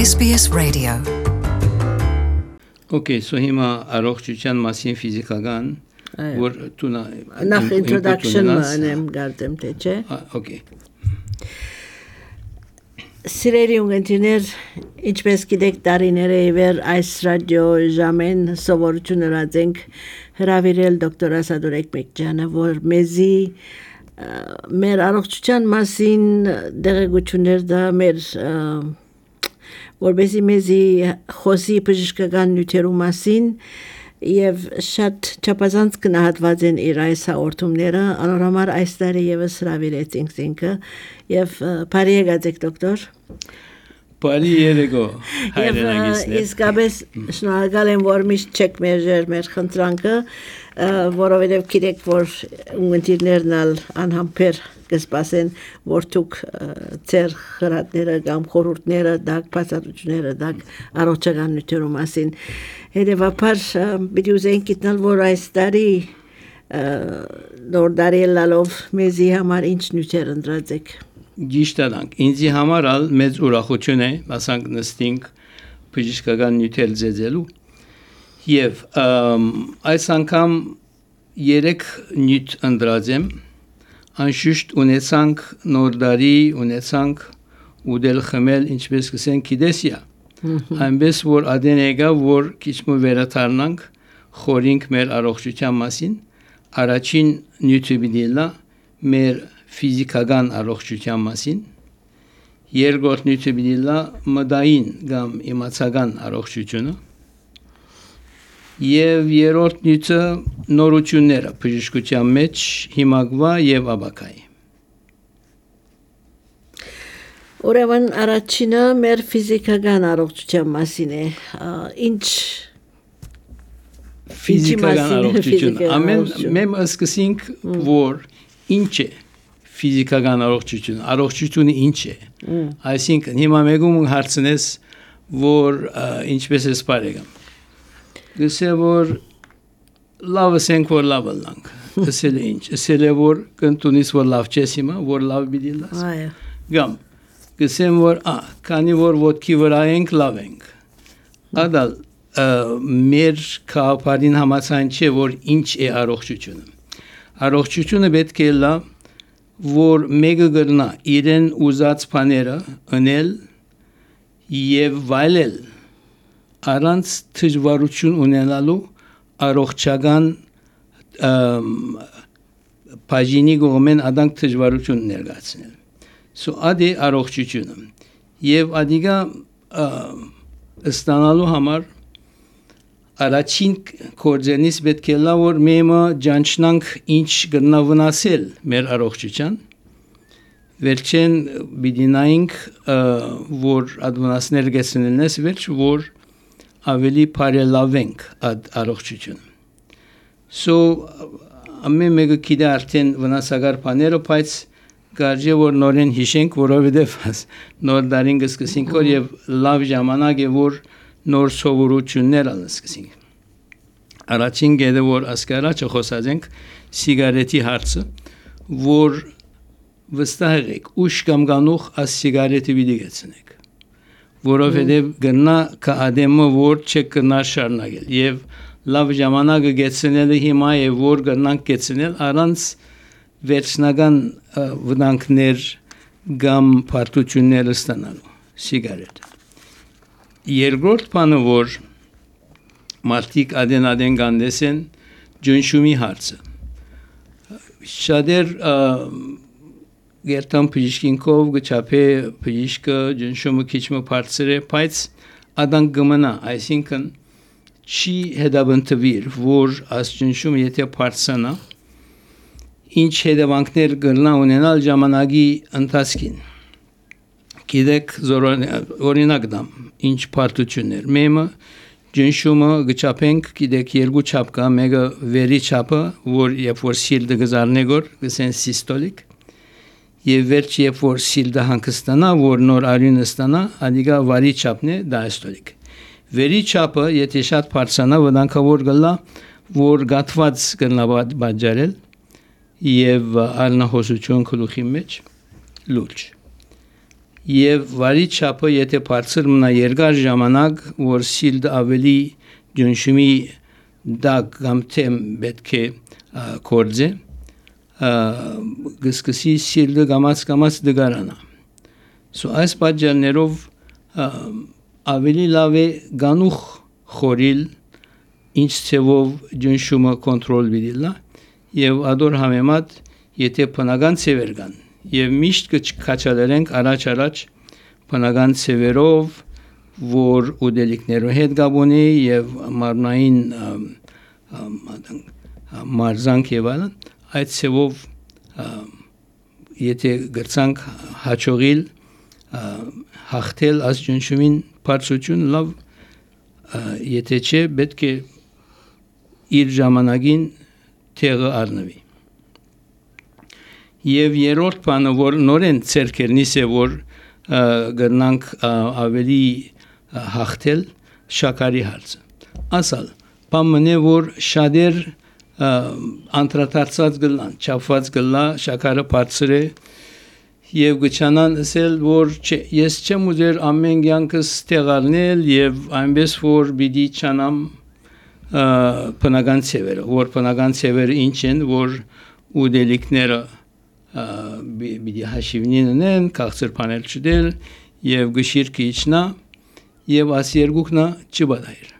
SBS Radio. Okay, so հիմա առողջության մասին ֆիզիկական որ տունա նախ introduction-ը անեմ գարտեմ թե չէ։ Okay. Սիրելի ունգընտիրներ, ինչպես գիտեք տարիները իվեր այս ռադիո ժամեն սովորություն ունենք հրավիրել դոկտոր Ասադուրեկ Մեկջյանը, որ մեզի մեր առողջության մասին դեղեցություններ դա մեր որբեսի մեզի խոսի բժշկական նյութերու մասին եւ շատ չափազանց գնահատված են իր այս հաղորդումները անորոշ այս տարի եւս հրավիրեցինք ինքը եւ բարի եկեք դոկտոր Բարի երեկո հայրենագիցներ իսկապես շնորհակալ եմ որ միշտ չեք մեր խնդրանքը որովհետև գիտեք որ ունգընտիրներն անհամբեր կսպասեն որ դուք ձեր խրատները կամ խորհուրդները դակ բացատրությունները դակ առողջական նյութերու մասին հետևաբար պիտի ուզենք գտնել որ այս տարի նոր դարիլալով մեզի համար ինչ նյութեր ընտրած եք Գիշտանանք ինձի համար ալ մեծ ուրախություն է ասանք նստինք բժշկական նյութեր ձեզելու եւ այս անգամ 3 նյութ ընտրած եմ անշուշտ ունեցանք նոր դարի ունեցանք ուդել խմել ինչպես կսենք գիտեսիա այնպես որ ադեն եկա որ քիչ մը վերաթարնանք խորինք մեր առողջության մասին առաջին նյութը բիդելա մեր ֆիզիկական առողջության մասին երկրորդ նյութը բիդելա մտային կամ իմացական առողջությունը եւ երրորդ նյութը նորությունները բժշկության մեջ հիմագվա եւ աբակայի Ուրեմն առաջինը մեր ֆիզիկական առողջության մասին է ինչ ֆիզիկական առողջություն ամեն մեմ սկսենք որ ինչ է ֆիզիկական առողջությունը ինչ է այսինքն հիմա մեկում հարցնես որ ինչպես է սպարեգամ գսե որ լավ ասենք որ լավ լանք ասել ինչ ասել որ կընտունիս որ լավ չես հիմա որ լավ բիդիլաս այո գամ գսեմ որ քանի որ ոտքի վրա ենք լավ ենք ադալ մեր կապարին համացան չէ որ ինչ է առողջությունը պետք է լա որ մեկը գրնա իրեն ուզած բաները անել եւ վայելել առանց դժվարություն ունենալու առողջական բաժինի գոմեն adank դժվարություն ներկայացնել so ադի առողջությունը եւ ադիգա ստանալու համար առաջին կորձենից պետք է լա որ մեմը ջանչնանք ինչ գտնա վնասել մեր առողջության վերջեն բիդինայինք որ ադվնասներ գեցնելնես վերջ որ ավելի բարելավենք առողջությունը so ամեն մեկը գիտի արդեն վնասակար բաները բայց կարելի որ նորեն հիշենք որովհետև նոր դարին կսկսենք եւ լավ ժամանակ է որ նոր սովորություններ անցկացինք առաջին գեդը որ ասկարաչը խոսածենք սիգարետի հարցը որ վստահ եք ուշ կամ գանուխ աս սիգարետը վիդիգեցնեք որովհետև գնա կադեմը որ չկնա շարունակել եւ լավ ժամանակը գեցնելը հիմա է որ գնանք գեցնել առանց վերջնական վտանգներ կամ պարտություններ ստանալու սիգարետը Երկրորդ բանը որ մարդիկ ադեն գանդեսեն ջնշումի հարցը շատեր գերտան բժիշկինքով գչափե բժիշկը ջնշումը քիչ մը բարձր է բայց ադան գմնա այսինքն չի հետաբնտվիր որ աս ջնշումը եթե բարձրանա ինչ հետևանքներ կգնա ունենալ ժամանակի ընթացքին Գիտեք օրինակ դամ ինչ պարտություններ մեմը ջնշումը գչափենք գիտեք երկու չափ կա մեկը վերի չափը որ երբ որ սիլդը գզարնեգոր գսեն սիստոլիկ եւ վերջ երբ որ սիլդը հանգստանա որ նոր արյունը ստանա ադիգա վարի չափն է դայստոլիկ վերի չափը եթե շատ բարձրանա վտանգավոր գլա որ գաթված կնա բաժարել եւ արնահոսություն գլուխի մեջ լուրջ եւ վարի չափը եթե բարձր մնա երկար ժամանակ, որ սիլդը ավելի ջնշումի դակ կամ թեմ պետք է կորձե, գսկսի սիլդը գամած դգարանա։ Այս պատճառներով ավելի լավ է գանուխ խորիլ, ինչ ցևով ջնշումը կոնտրոլ վիդիլա եւ ադոր համեմատ եթե բնական ցևեր կան եւ միշտ կչքաչալենք առաջ բնական ցևերով, որ ուդելիքներով հետ գաբոնի եւ մարմնային մարզանք եւ այլն, այդ ցևով եթե գրցանք հաջողիլ հաղթել այս ջնշումին բարձրություն լավ, եթե չէ պետք է իր ժամանակին տեղը առնվի։ Եվ երրորդ բանը, որ նորեն ցերկերնիս է, որ գրնանք ավելի հաղթել շաքարի հարցը։ Ասալ, բամն է, որ շատեր անդրադարձած գլան, չափված գլա, շաքարը բարձր է, եւ գչանան ասել, որ չէ, ես չեմ ուզեր ամեն կյանքս տեղառնել եւ այնպես որ պիտի չանամ բնական ցևերը, որ բնական ցևերը ինչ են, որ ուդելիքները պիտի հաշիվնին են, քաղցր բանել չդել եւ գշիրքը իջնա եւ աս երկուքնա չբադայր։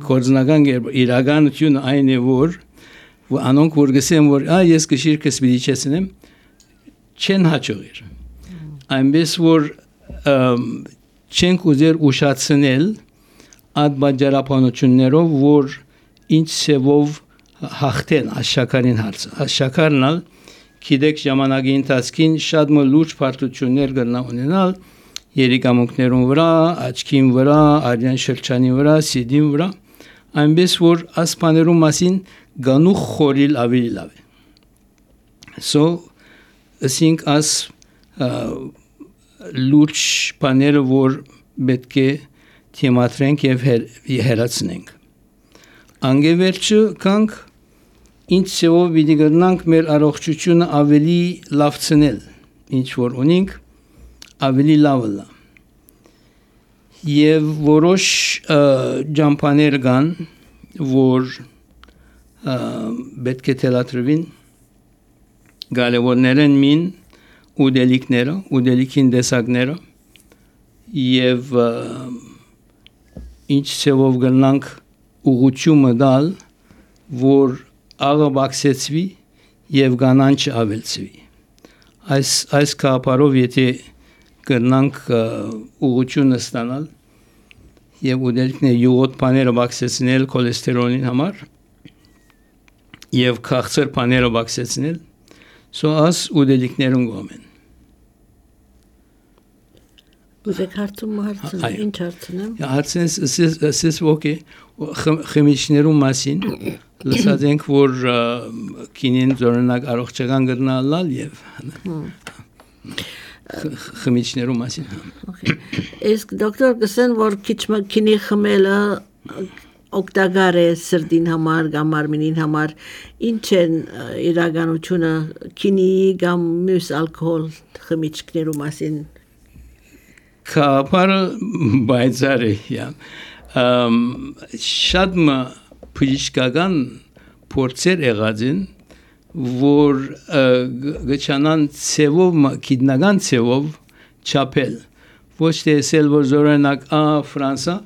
Կորձնական իրականությունը այն է, որ անոնք որ գսեն, որ ես գշիրքս պիտի չեսնեմ, չեն հաջողիր։ Այնպես որ չենք ուզեր ուշացնել այդ բաժարապանություններով, որ ինչ ցևով հաղթեն աշխարհին հարցը։ Աշխարհնալ գիտեք ժամանակի ընթացքին շատ լուրջ բարդություններ կգնա ունենալ երիկամունքներուն վրա, աչքին վրա, արյան շրջանի վրա, սիդին վրա, այնպես որ ասպաներուն մասին գանուխ խորիլ ավելի լավ է։ Ասինք աս լուրջ բաները, որ պետք է թեմատրենք եւ հերացնենք։ Անգևերջը կանք ինչ ցեով պիտի գտնանք մեր առողջությունը ավելի լավցնել, ինչ որ ունենք, ավելի լավը։ Եվ որոշ ջամփաներ կան, որ պետք է թելադրվին, գալեվորներն մին ուդելիքները, ուդելիքին դեսակները եւ ինչ ցեով գտնանք ուղղությունը դալ, որ աղը բաքսեցվի եւ կանանչը ավելցվի։ Այս կապարով եթե կրնանք ուղղությունը ստանալ եւ ուդելիքները յուղոտ բաները բաքսեցնել քոլեստերոլին համար եւ քաղցր բաները բաքսեցնել, աս ուդելիքներուն գոմեն։ Ուզեք հարցում ինչ հարցնեմ։ Հարցնես ասես ոքե խմիչներու մասին լսած ենք, որ կինին զորնակ առողջական գրնալալ եւ խմիչներու մասին։ Իսկ դոկտոր գսեն, որ քիչմակինի խմելը օգտակար է սրտին համար, կամ մարմինին համար, ինչ են իրականությունը քինի կամ մյուս ալկոհոլ խմիչքներու մասին։ Կապարը բայցար է, շատ բժշկական փորձեր եղած են, որ գչանան ցևով, գիտնական ցևով չափել, ոչ թե ասել, որ զորանակ Ֆրանսա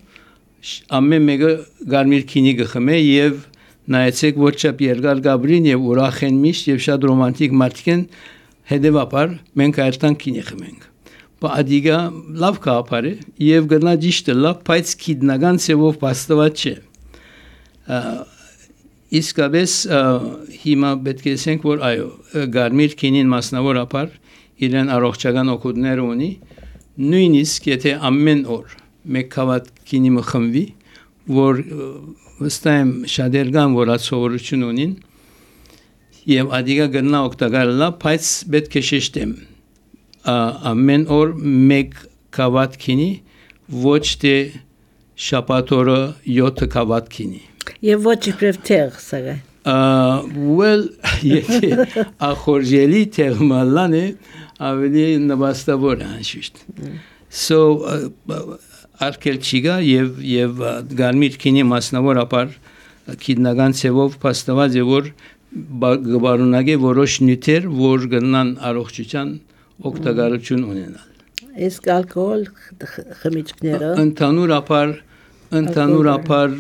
ամեն մեկը գարմիր քինի գխմե եւ նայեցեք որ չափ երկար գաբրին եւ ուրախ են միշտ եւ շատ ռոմանտիկ մարդիկ են, հետեւաբար մենք այդտեղ քինի խմենք։ Բադիգա լավ կապար է եւ գնա ճիշտը լավ, բայց գիտնական ցևով բաստված չէ։ Իսկապես հիմա պետք է ասենք, որ այո, գարմիր քինին մասնավորապես իրեն առողջական օգուտներ ունի, նույնիսկ եթե ամեն օր մեկ քավատ քինի մխմվի, որ վստահ եմ շատեր կան, որ ածորություն ունին, եւ ադիգա գնա օգտակար լավ, բայց պետք է շեշտեմ ամեն օր մեկ քավատ քինի, ոչ թե շաբաթօրը 7 քավատ քինի։ Եվ ոչ իբրև տեղ, սակայն։ Well, եթե ախորժելի տեղ մալան է, ավելի նպաստավոր է անշուշտ so արկել չի գա եւ գարմիր քինի մասնավորապես քիդնական ցևով փաստված է որ գբարունագե որոշ նյութեր որ գնան առողջության օգտակարություն ունենալ իսկ ալկոհոլ խմիչքները ընդհանուրապես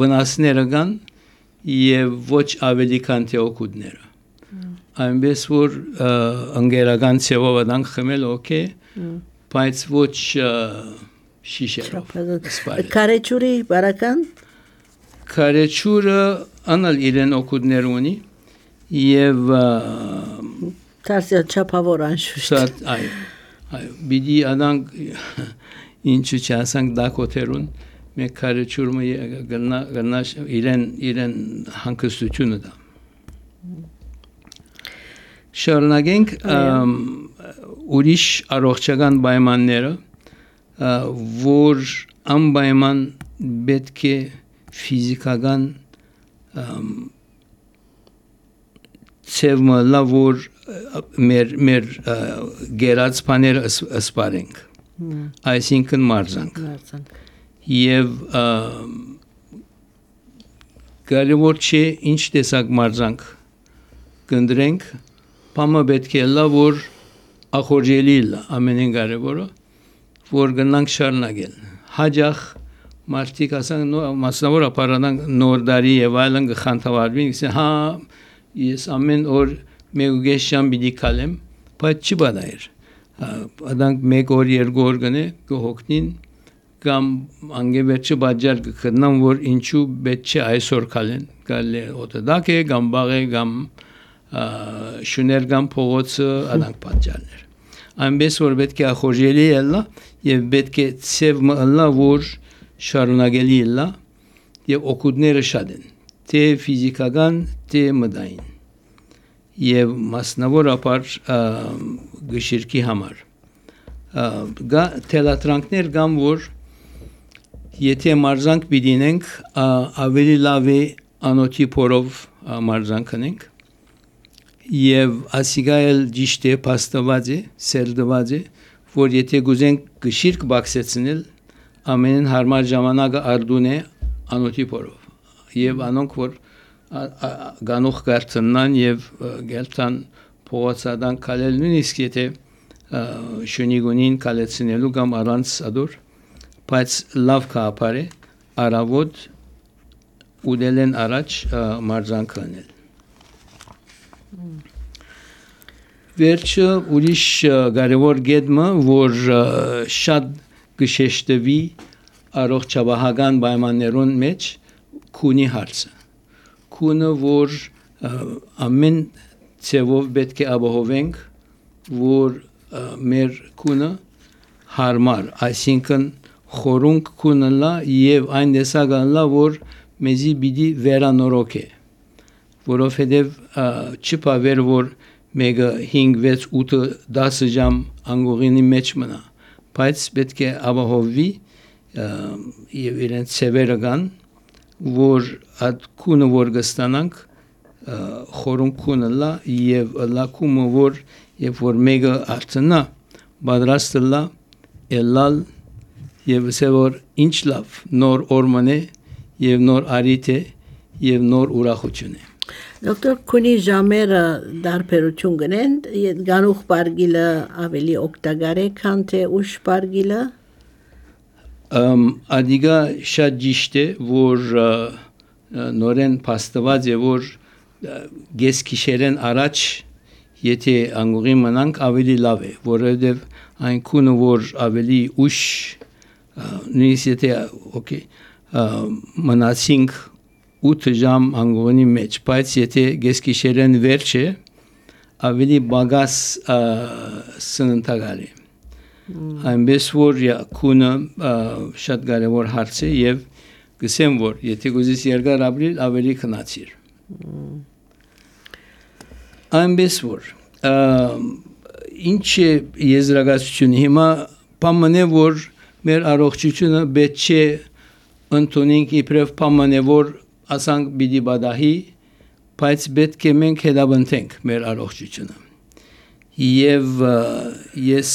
վնասները կան եւ ոչ ավելի քան թե օգուտները այնպես որ ընկերական ցևով դանք խմել օքեյ բայց ոչ շիշերով կարեջուրի բարական կարեջուրը անալ իրեն օգուտներ ունի եւ Տարսիա չափավոր անշուշտ այո բիդի անանք ինչու չասանք դակոթերուն մեկ կարեջուրը գնա իրեն հանգստությունը դա շարունակենք ուրիշ առողջական պայմանները որ անպայման պետք է ֆիզիկական ցևը լավ որ մեր գերած բաները սպարենք այսինքն մարզանք եւ կարևոր չէ ինչ տեսակ մարզանք կնդրենք Պամը պետք է լավ որ ախորժելի լա ամենին կարևորը որ գնանք շարունակել հաջող մարդիկ ասան մասնավորապես նոր դարի եւ այլն գխանթավարվին ասեն հա ես ամեն օր մեկ շամ պիտի քալեմ բայց չի բադայր adank մեկ օր երկու օր գնե կհոգնին կամ անգեվերջը բաժար կգտնան որ ինչու պետք չէ այսօր քալեն գալի օտոդակ է կամ բաղ է կամ շուներ կամ փողոցը adank բաժարներ այնպես որ պետք է ախորժելի ելնա եւ պետք է ցև մըլնա որ շարունակելի ելնա եւ օգուտները շատ են թե ֆիզիկական թե մտային եւ մասնավորապես գշիրքի համար թելատրանքներ կամ որ եթե մարզանք պիտինենք ավելի լավ է անոթի փորով մարզանք անենք եւ ասիգայել ճիշտ է փաստված է սերդված է որ եթե գուզենք գշիրք բացեցնել ամենին հարմար ժամանակը արդուն է անոթի փորով եւ անոնք որ գանող կարտնան եւ գելտան փողոցադան կալել նույնիսկ եթե շունիգունին կալեցնելու կամ առանց ադոր բայց լավ կապարե արավոտ ուդելեն առաջ մարզանք անել վերջը ուրիշ կարևոր գեդմը որ շատ գշեշտվի առողջապահական պայմաններուն մեջ քունի հարցը քունը որ ամեն ցևով պետք է ապահովենք որ մեր քունը հարմար այսինքն խորունկ քունը լա եւ այն դեսական լա որ մեզի պիտի վերանորոգ է որովհետեւ չփավեր որ մեկը 5 6 8 10 ժամ անգողինի մեջ մնա բայց պետք է ապահովվի եւ իրեն ցևերը կան որ այդ քունը որ կստանանք խորուն քունը լա եւ լակումը որ եւ որ մեկը արտնա պատրաստ լա ելալ եւ ասել ինչ լավ նոր օրմն է եւ նոր արիթ է եւ նոր ուրախություն է Դոկտոր քունի ժամերը դարբերություն գնեն գանուխ բարգիլը ավելի օգտակար է քան թե ուշ բարգիլը Ադիգա շատ ճիշտ է որ նորեն փաստված է որ գեսքիշերեն առաջ եթե անգուրի մնանք ավելի լավ է որովհետև այն քունը որ ավելի ուշ նույնիսկ եթե օքեյ մնացինք 8 ժամ անգուրի մեջ բայց եթե գեսքիշերեն վերջ է ավելի բագաս սննդակար է այնպես որ քունը շատ կարևոր հարց է եւ գսեմ որ եթե գուզես երկար ապրիլ ավելի քնացիր այնպես որ ինչ է եզրակացությունը հիմա պամանե որ մեր առողջությունը պետք է ընդունենք իբրև պամանե որ ասանք պիտի բադահի բայց պետք է մենք հետապնդենք մեր առողջությունը եւ ես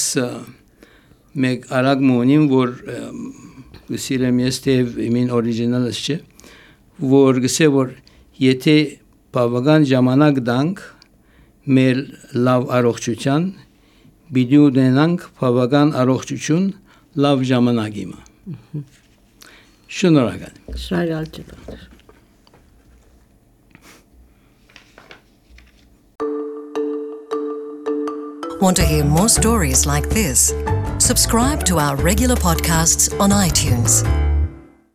մեկ արագ մոնին որ գսիրեմ ես թե իմին օրիջինալս չէ որ գսե որ եթե բավական ժամանակ դանք մեր լավ առողջության բիդու դենանք բավական առողջություն լավ ժամանակ իմը շնորհակալ Շնորհակալ Want to hear more stories like this? Subscribe to our regular podcasts on iTunes.